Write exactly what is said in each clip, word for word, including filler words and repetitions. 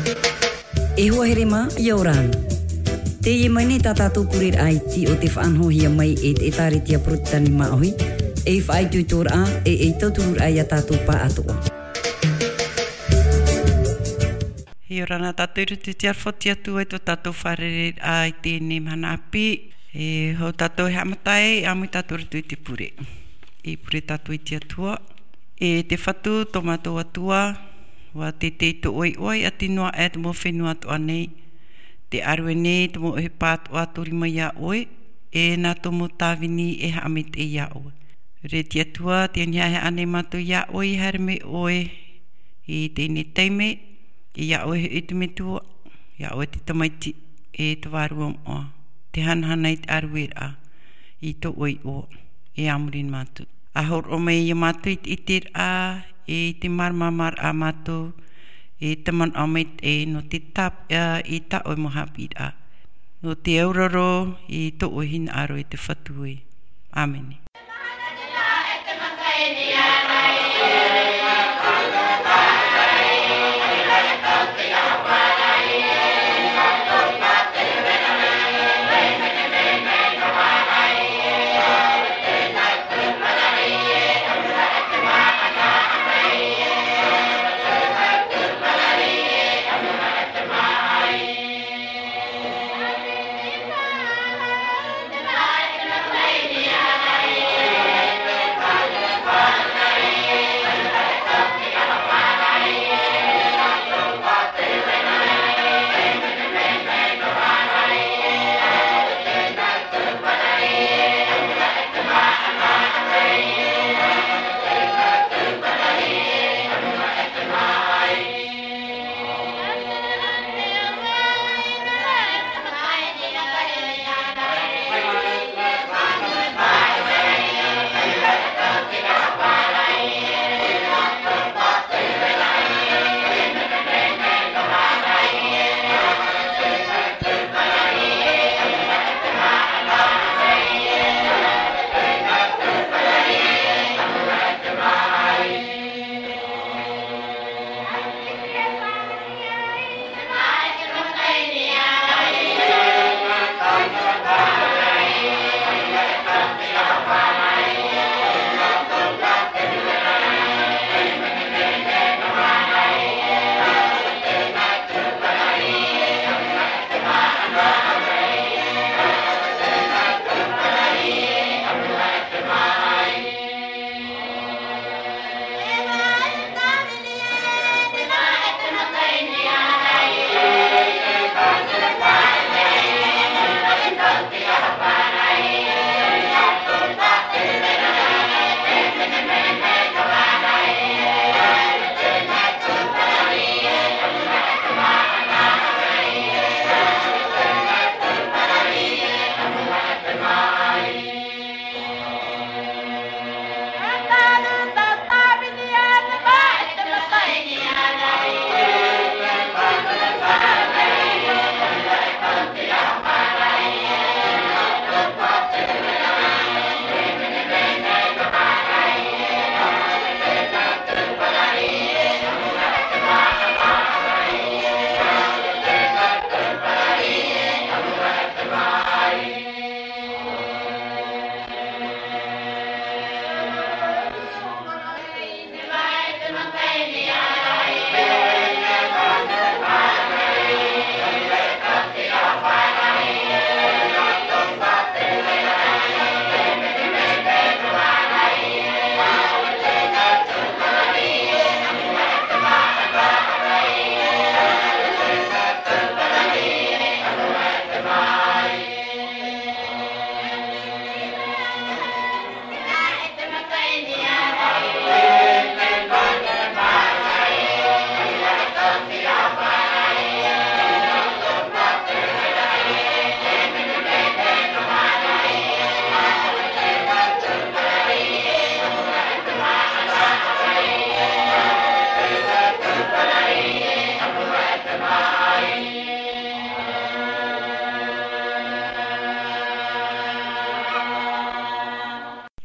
E hoa here mā, ʻia ora na. Teie mai nei tā tātou pureraʻa iti o te faʻanahohia mai e te ʻĒtārētia Porotetani Māʻohi, ei faʻaitoitoraʻa, e ei tautururaʻa ia tātou pāʻatoʻa. ʻIa ora na tātou i roto i te aroha o te Atua i tō tātou fārereiraʻa i teie mahana ʻāpī, e hou tātou e haʻamata ai, ʻāmui tātou i roto i te pure. E pure tātou i te Atua. E te Fatu, tō mātou Atua, ʻua teitei tō ʻoe iʻoa, e ʻati noa aʻe te mau fenua atoʻa nei, tē ʻārue nei te mau ʻohipa atoʻa tō rima ia ʻoe, e nā tō mau tāvini e haʻamaitaʻi ia ʻoe. Rē te Atua, tē anihaehaʻa nei mātou ia ʻoe, ʻia haere mai ʻoe i teie taime, ia ʻoe hoʻi te Metua, ia ʻoe te Tamaiti, e te Vārua Moʻa, tē hanahana i te ʻārueraʻa i tō ʻoe iʻoa, e a muri nei mātou. ʻA hōroʻa mai ia mātou i te ʻiteraʻa, e i te māramaramaraʻa a mātou, e te manaʻo maitaʻi nō te tāpeʻa i tā ʻoe mau haʻapiʻiraʻa. Nō te auraro i tō ʻoe hinaʻaro e te Fatu ē. ʻĀmene.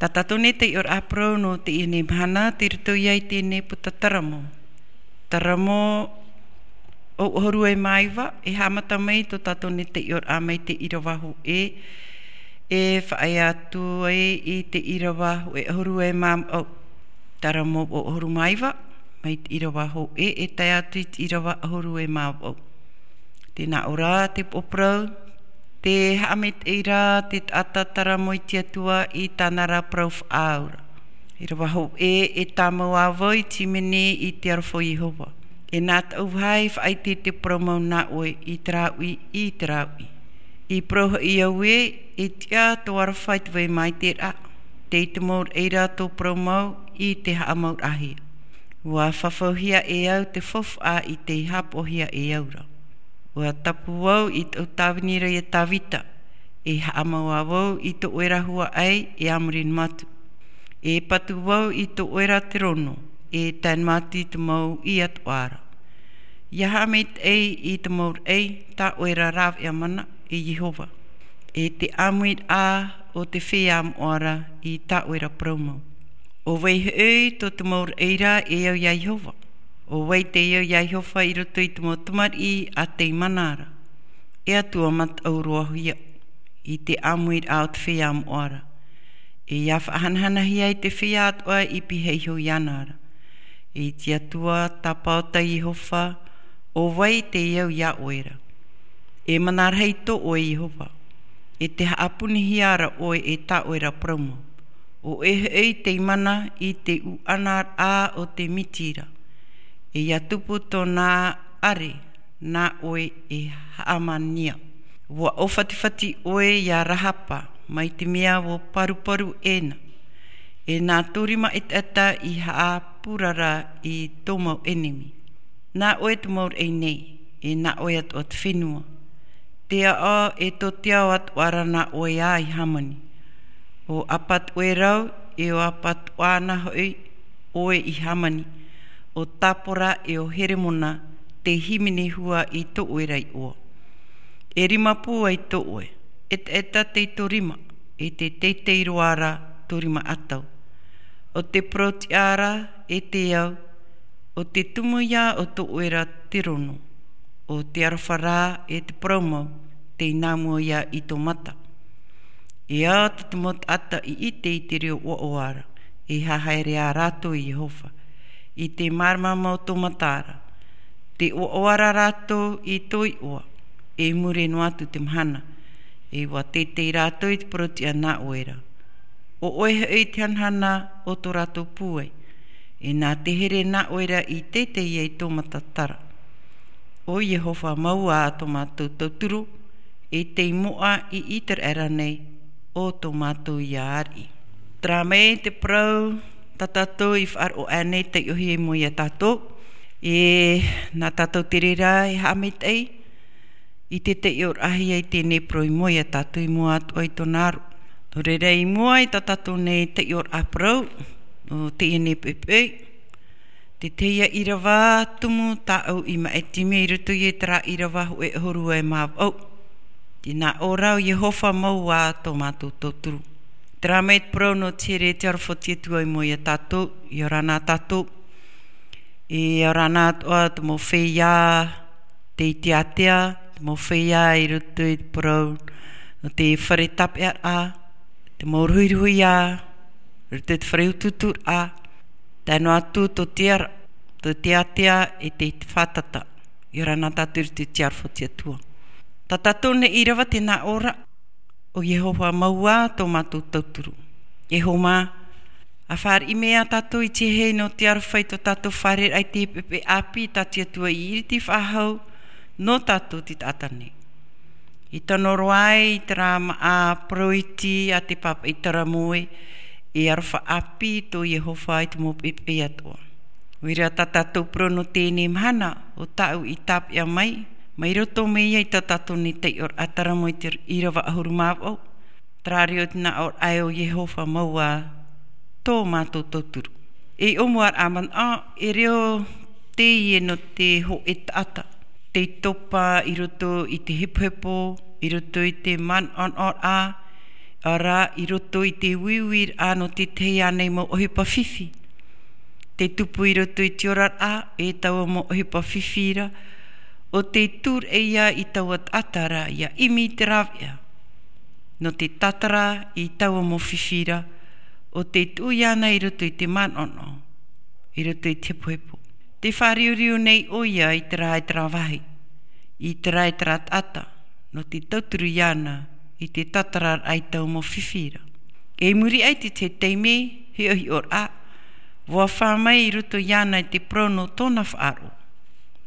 Tā tātou nei taiʻoraʻa parau nō teie mahana, tei roto ia i teie puta Taramo. Taramo, ʻahuru e mā iva, e haʻamata mai tō tātou nei taiʻoraʻa mai te ʻīrava hōʻē, e faʻaea atu ai i te ʻīrava hōʻē ʻahuru e mā vaʻu. Tara mau ʻahuru mā iva, mai te ʻīrava hōʻē, e tae atu i te ʻīrava ʻahuru e mā vaʻu. Tē nā ʻō ra te upoʻo parau, te haʻamaitaʻi ra te taʻata tara mai te Atua i tāna ra parau faʻaau ra. ʻĪrava hōʻē, e tāmau ā vau i te hīmene i te aroha o Iehova. E nā taʻu vāhi faʻaʻite te parau mau nā ʻoe i te rāuʻi, i te rāuʻi. I parau hoʻi au ē, e tiʻa tō aroha i te vai mai te rā. Tei te mau reira tō parau mau i te haʻamauraʻahia. Ua fafauhia e au te faufaʻa i te haʻapoʻohia e au ra. Ua tapu au i taʻu tāvini ra ia Tāvita, e haʻamau ā vau i tō ʻoe ra huaʻai e a muri noa atu. E patu vau i tō ʻoe ra terono, e tae noa atu i te mau i atoʻa ra. ʻIa haʻamaitaʻi i te mau raʻi tā ʻoe ra rāveʻa mana, e Iehova. E te ʻāmuiraʻa o te feiā moʻa ra i tā ʻoe ra parau mau. ʻO vai hoʻi tō te mau raʻi ra e au ia Iehova? ʻO vai tei au ia Iehova i roto i te mau tamariʻi a tei mana ra? E Atua mataʻu roa hoʻi ia i te ʻāmuiraʻa o te feiā moʻa ra. E ʻia faʻahanahanahia i te feiā atoʻa i pihaʻi iho iāna ra. I te Atua tāpaʻo tā Iehova, ʻo vai tei au ia ʻoe ra? E mana rahi tō ʻoe Iehova. E te haʻapunihia ra ʻoe e tā ʻoe ra parau mau. ʻO ʻoe hoʻi tei mana i te ʻuʻanaraʻa o te miti ra. E ʻia tupu tōna ʻare, nā ʻoe e haʻamania. Ua ʻōfatifati ʻoe ia Rahapa, mai te mea ua paruparu ʻē na. E nā tō rima ʻetaʻeta i haʻapurara i tō mau ʻenemi. Nā ʻoe te mau raʻi nei, e nā ʻoe atoʻa te fenua. Te aʻo e tō te ao atoʻa ra nā ʻoe ā i hāmani. ʻO ʻapatoʻerau, e ʻo ʻapatoʻa ana hoʻi ʻoe i hāmani. ʻO Tāpora, e ʻo Heremona, tei hīmene hua i tō ʻoe ra iʻoa. E rima pūai tō ʻoe, ʻetaʻeta tei tō rima, e te teitei roa ra tō rima ʻatau. ʻO te parau-tiʻa ra e te au, ʻo te tumu ia o tō ʻoe ra terono, ʻo te aroha ra e te parau mau, tei nā mua ia i tō mata. E ao tō te mau taʻata i ʻite i te reo ʻoaʻoa ra, e hahaere ā rātou i Iehova, i te māramarama o tō mata ra. Tē ʻoaʻoa ra rātou i tō iʻoa, e mure noa atu te mahana, e ua teitei rātou i te parau-tiʻa nā ʻoe ra. ʻO ʻoe hoʻi te hanahana o tō rātou pūai, e nā te here nā ʻoe ra i teitei ai tō mataʻu ra. ʻO Iehova mau ā tō mātou tauturu, e tei moʻa i ʻĪteraʻera nei, ʻo tō mātou ia ariʻi. Terā mai te parau tā tātou i faʻaroʻo aʻe nei, taiʻohia i mua ia tātou. E nā tātou te reira e haʻamaitaʻi i te taiʻoraʻahia i teie nei parau i mua ia tātou, i mua atoʻa i tōna aro. Nō reira, i mua i tā tātou nei taiʻoraʻa parau o teie nei poʻipoʻi, te tahi ʻīrava tumu tāʻu i maʻiti mai i roto i terā ʻīrava hōʻē ʻahuru e mā vaʻu. Tē nā ʻō ra, ʻo Iehova mau ā tō mātou tauturu. Terā mai te parau nō te here te aroha o te Atua i mua ia tātou, ʻia ora na tātou. E ora na atoʻa te mau feiā tei teatea, te mau feiā i roto i te parau nō te fare tāpeʻaraʻa, te mau ruhiruhiā, i roto i te fare utuuturaʻa, tae noa atu tō te ara, tō teatea e te fātata. ʻIa ora na tātou i roto i te aroha o te Atua. Tā tātou nei ʻīrava tē nā ʻō ra, ʻo Iehova mau ā tō mātou tauturu. E hoa mā, ʻa fāriʻi mai ā tātou i te hei nō te aroha i tō tātou fārereiraʻa i te poʻipoʻi ʻāpī tā te Atua i iriti faʻahou nō tātou te taʻata nei. I tano roa ai i terā māʻa parau iti a te pāpaʻi Taramoe, e aroha ʻāpī tō Iehova i te mau poʻipoʻi atoʻa. ʻOia, tā tātou parau nō teie mahana, ʻo tāʻu i tāpeʻa mai, mai roto mai ia i tā tātou nei taiʻoraʻa Taramoe i te ʻīrava ʻahuru mā vaʻu. Terā reo tē nā ʻō ra, ʻo Iehova mau ā tō mātou tauturu. E ʻōmuaraʻa manaʻo, e reo teie nō te hōʻē taʻata tei topa i roto i te hepohepo, i roto i te manaʻonaʻoraʻa, ʻaore rā, i roto i te uiuiraʻa nō te tahi ānei mau ʻohipa fifi. Tei tupu i roto i te oraraʻa, e taua mau ʻohipa fifi ra, ʻo tē tūraʻi ia i taua taʻata ra ʻia ʻimi i te rāveʻa nō te tātara i taua mau fifi ra, ʻo tē tuʻu iāna i roto i te manaʻonaʻo, i roto i te hepohepo. Tē fāriuriu nei ʻoia i terā e terā vāhi, i terā e terā taʻata, nō te tauturu iāna i te tātararaʻa i taua mau fifi ra. I muri aʻe i te tahi taime, hiʻohiʻoraʻa, ʻua fā mai i roto iāna i te parau nō tōna faʻaroʻo,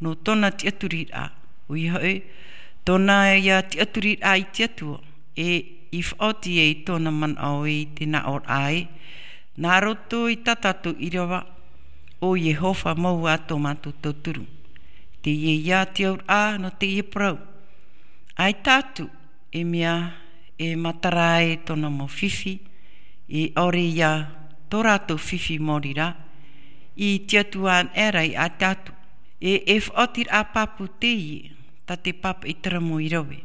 nō tōna tiʻaturiraʻa, ʻoia hoʻi, tōna ia tiʻaturiraʻa i te Atua, e i faʻaoti ai tōna manaʻo i te nāʻōraʻa ē, nā roto i tā tātou ʻīrava, ʻo Iehova mau ā tō mātou tauturu. Teie ia te auraʻa nō teie parau. ʻAita atu, e mea e matara ai tōna mau fifi, e ʻaore ia tō rātou fifi maori rā, i te Atua anaʻe ra i ʻaita atu. E, e faʻaotiraʻa pāpū teie, tā te pāpaʻi taramō i rave.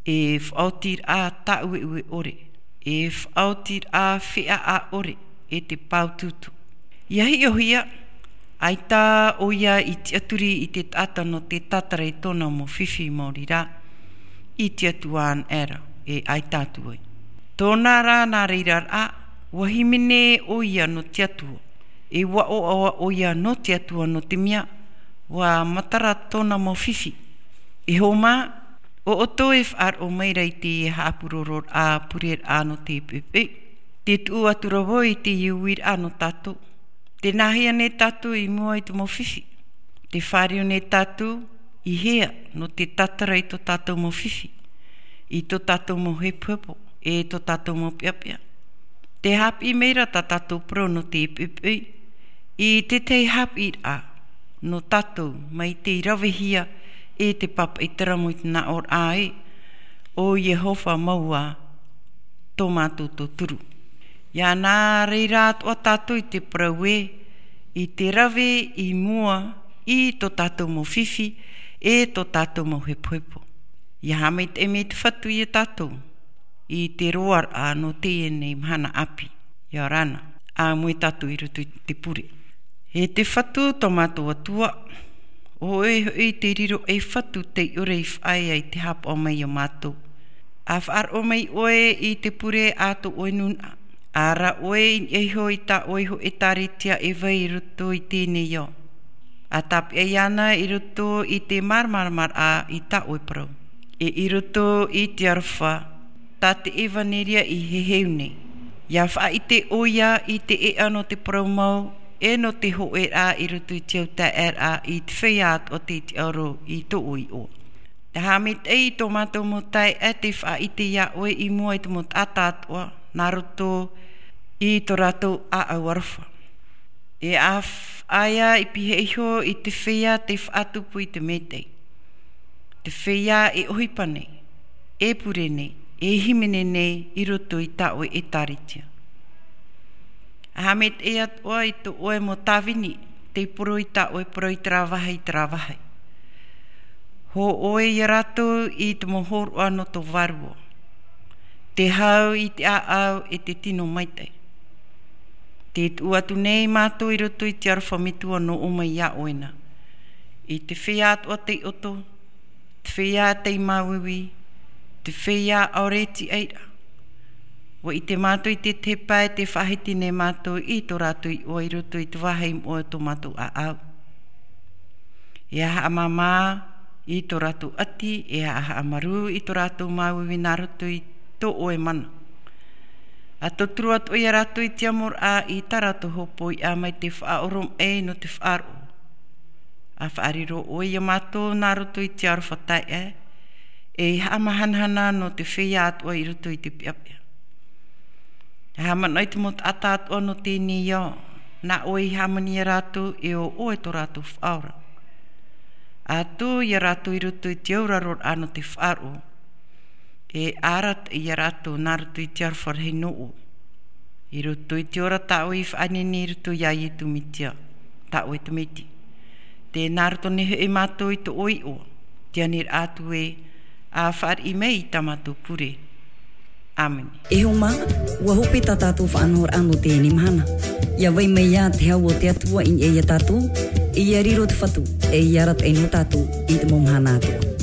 E faʻaotiraʻa tāʻueʻue ʻore, e faʻaotiraʻa feʻaʻa ʻore, e te pāutuutu. ʻIa hiʻohia, ʻaita ʻoia i tiʻaturi i te taʻata nō te tātara i tōna mau fifi maori rā, i te Atua anaʻe ra, e ʻaita atu ai. Tōna rā nā reira rā, ʻua hīmene ʻoia nō te Atua, e ʻua ʻoaʻoa ʻoia nō te Atua nō te mea, ʻua matara tōna mau fifi. E hōmā, ʻo ʻoutou e faʻaroʻo mai ra i te haʻapurororaʻa pureraʻa nō te poʻipoʻi. Tē tuʻu atu ra vau i te uiraʻa nō tātou. Tē nāhea nei tātou i mua i te mau fifi? Tē fāriu nei tātou i hea nō te tātara i tō tātou mau fifi, i tō tātou mau hepohepo, e tō tātou mau peʻapeʻa? Tē haʻapiʻi mai ra tā tātou parau nō te poʻipoʻi, i te tahi haʻapiʻiraʻa nō tātou mai tei ravehia e te pāpaʻi taramō i te nāʻōraʻa ē, ʻo Iehova mau ā tō mātou tauturu. ʻIa nā reira atoʻa tātou i te parau ē, i te rave i mua i tō tātou mau fifi, e tō tātou mau hepohepo. ʻIa haʻamaitaʻi mai te Fatu ia tātou, i te roaraʻa nō teie nei mahana ʻāpī. ʻIa ora na, ʻāmui tātou i roto i te pure. E te Fatu tō mātou Atua, ʻo ʻoe hoʻi te riro ei Fatu tei ʻore i faʻaea i te haʻapaʻo mai ia mātou. ʻA faʻaroʻo mai ʻoe i te pure a tō ʻoe nūnaʻa. ʻA rā ʻoe i niʻa iho i tā ʻoe iho ʻētāretia e vai i roto i teie nei ao. ʻA tāpeʻa iāna i roto i te māramaramaraʻa i tā ʻoe parau. E i roto i te aroha, tā te ʻevaneria i heheu nei. ʻIa faʻaʻite ʻoia i te ʻēʻa nō te parau mau, e nō te hōʻēraʻa i roto i te au taeaʻeraʻa i te feiā atoʻa tei tiʻaoro i tō ʻoe iʻoa. Te haʻamaitaʻi i tō mātou mau taeaʻe tei faʻaʻite iā ʻoe i mua i te mau taʻata atoʻa, nā roto i tō rātou ʻāʻau aroha. E ʻa faʻaea i pihaʻi iho i te feiā tei faʻatupu i te mētē. Te feiā e ʻohipa nei, e pure nei, e hīmene nei i roto i tā ʻoe ʻētāretia. ʻA haʻamaitaʻi atoʻa i tō ʻoe mau tāvini, tei poro i tā ʻoe parau i terā vāhi, i terā vāhi. Hō ʻoe ia rātou i te mau hōroʻa nō tō Vārua. Te hau i te ʻāʻau e te tino maitaʻi. Tē tuʻu atu nei mātou i roto i te aroha metua nō ʻō mai iā ʻoe na. I te feiā atoʻa tei ʻoto, te feiā tei māuiui, te feiā ʻaore e tiʻaira. ʻUa ʻite mātou i te tahi pae tē faʻahiti nei mātou i tō rātou iʻoa i roto i te vāhi moʻa o tō mātou ʻāʻau. E haʻamāmā i tō rātou ʻati, e haʻamarū i tō rātou māuiui nā roto i tō ʻoe mana. ʻA tauturu atu ia rātou i te amoraʻa i tā rātou hōpoiʻa mai te faʻaoromaʻi nō te faʻaroʻo. ʻA faʻariro ʻoe ia mātou nā roto i te aroha taeaʻe, e haʻamahanahana nō te feiā atoʻa i roto i te peʻapeʻa. E haʻamanaʻo i te mau taʻata atoʻa nō teie nei ao, nā ʻoe i hāmani ia rātou e ʻo ʻoe tō rātou faʻaora. ʻA tū ia rātou i roto i te auraroraʻa nō te faʻaroʻo, e arataʻi ia rātou nā roto i te aroha rahi nō ʻoe. I roto i te ora tā ʻoe i faʻaʻite nei i roto iā Ietu Metia, tā ʻoe Tamaiti. Tē nā roto nei hoʻi mātou i tō ʻoe iʻoa, te aniraʻa atu ē, ʻa fāriʻi mai i tā mātou pure. ʻĀmene. E hōmā, ʻua hope tā tātou faʻanahoraʻa nō teie mahana. Ia vai mai ia te hau o te Atua i niʻa ia tātou, ia riro te Fatu, e ia arataʻi nō tātou i te mau mahana atoʻa.